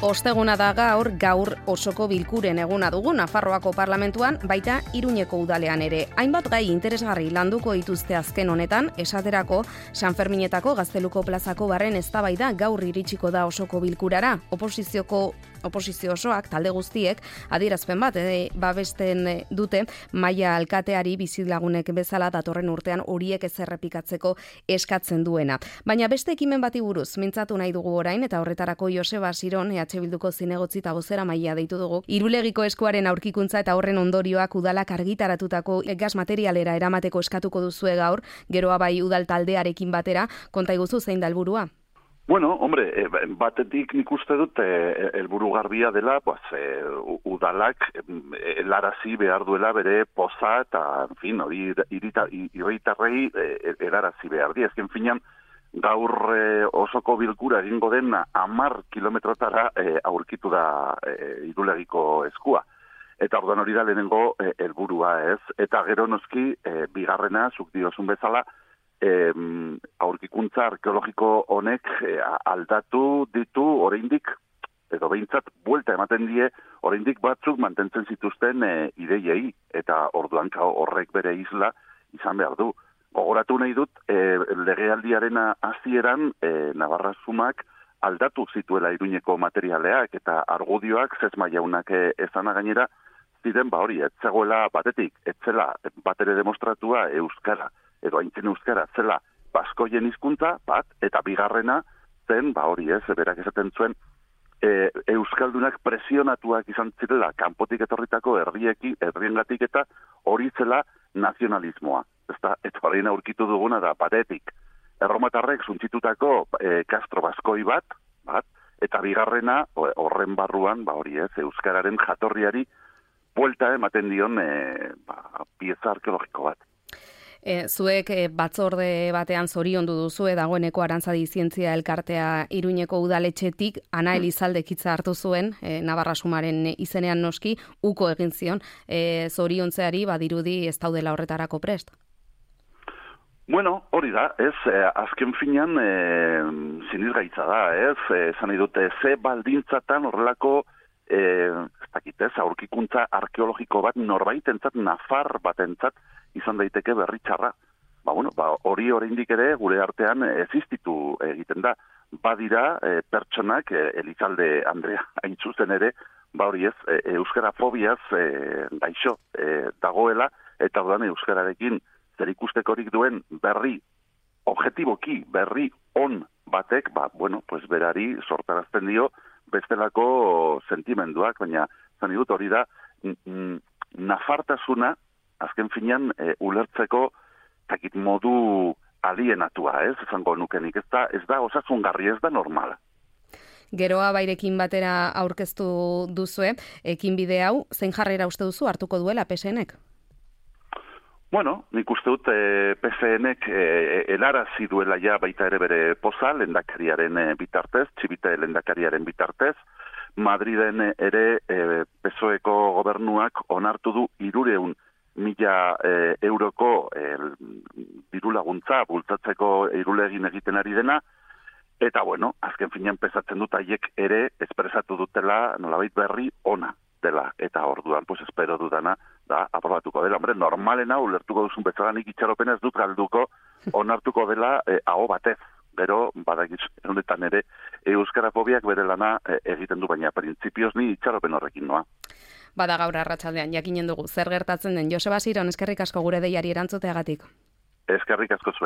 Osteguna da gaur osoko bilkuren eguna dugu Nafarroako parlamentuan, baita Iruñeko udalean ere. Hainbat gai interesgarri landuko dituzte azken honetan, esaterako Sanferminetako Gazteluko plazako barren eztabaida gaur iritsiko da osoko bilkurara. Oposizio osoak, talde guztiek, adierazpen bat babesten dute maila alkateari bizilagunek bezala datorren urtean horiek ez errepikatzeko eskatzen duena. Baina beste ekimen bati buruz mintzatu nahi dugu orain, eta horretarako Joseba Siron, EH Bilduko zinegotzi eta bozera maila deitu dugu. Irulegiko eskuaren aurkikuntza eta horren ondorioak udalak argitaratutako gas materialera eramateko eskatuko duzue gaur, geroa bai udal taldearekin batera, konta iguzu zein da helburua? Bueno, hombre, batetik nik uste dut helburu garbia dela, udalak helarazi behar duela bere poza eta, en fin, hori irritarrei helarazi behar di. Ezken finan, gaur osoko bilkura egingo den 10 kilometrotara aurkitu da Irulegiko eskua. Eta orduan hori da lehenengo helburua, ez? Eta gero noski, bigarrena, zuk diozun bezala, aurkikuntza arkeologiko honek aldatu ditu oraindik, edo behintzat buelta ematen die, oraindik batzuk mantentzen zituzten ideiei, eta orduan horrek bere isla izan behar du. Gogoratu nahi dut, legealdiaren hasieran Navarra Sumak aldatu zituela Iruñeko materialeak eta argudioak Zesma jaunak ezana gainera ziren hori, ez zegoela batetik, ez zela batere demostratua euskara, edo aintzen euskara zela baskoien hizkuntza bat, eta bigarrena zen, hori ez, berak esaten zuen, euskaldunak presionatuak izan zirela kanpotik etorritako herriengatik eta hori zela nazionalismoa. Eta horrein aurkitu duguna da batetik. Erromatarrek suntzitutako Castro Baskoi bat, eta bigarrena horren barruan, hori ez, euskararen jatorriari buelta ematen dion pieza arkeologiko bat. Zuek batzorde batean zoriondu duzue dagoeneko Arantzadi Zientzia Elkartea Iruñeko udaletxetik Ana Elizaldek hitza hartu zuen, Navarra Sumaren izenean noski, uko egin zion, zoriontzeari badirudi ez daudela horretarako prest. Bueno, hori da, ez, azken finan sinizgaitza da, ez, esan dute, ze baldintzatan horrelako aurkikuntza arkeologiko bat norbaitentzat, nafar batentzat izan daiteke berritxarra. Hori oraindik ere gure artean existitu egiten da. Badira pertsonak, Elizalde Andrea hain zuzen ere, hori ez, euskara fobiaz gaixo dagoela, eta orduan euskararekin zer ikustekorik duen berri, objetiboki berri on batek, berari sortarazten dio bestelako sentimenduak, baina zan dut hori da, nafartasuna, azken finean, ulertzeko takit modu alienatua, ez, esango nukenik, ez da osasungarri, ez da normala. Geroa bairekin batera aurkeztu duzue, ekinbide hau, zein jarrera uste duzu hartuko duela PSNek? Bueno, nik uste dut PSNek helarazi duela ja baita ere bere poza, lehendakariaren bitartez, Txibite lehendakariaren bitartez, Madriden ere PSOEko gobernuak onartu du 300.000 euroko diru laguntza bultzatzeko Irulegin egiten ari dena, eta azken finean pesatzen dut haiek ere espresatu dutela nolabait berri ona dela, eta orduan espero dudana da aprobatuko dela. Hombre, normalena ulertuko duzun bezala nik itxaropena ez dut galduko onartuko dela aho batez. Gero, badakiz, honetan ere, euskarafobiak bere lana egiten du, baina printzipioz ni itxaropen horrekin noa. Bada gaur arratsaldean jakinen dugu zer gertatzen den. Joseba Siron, eskerrik asko gure deiari erantzuteagatik. Eskerrik asko zuei.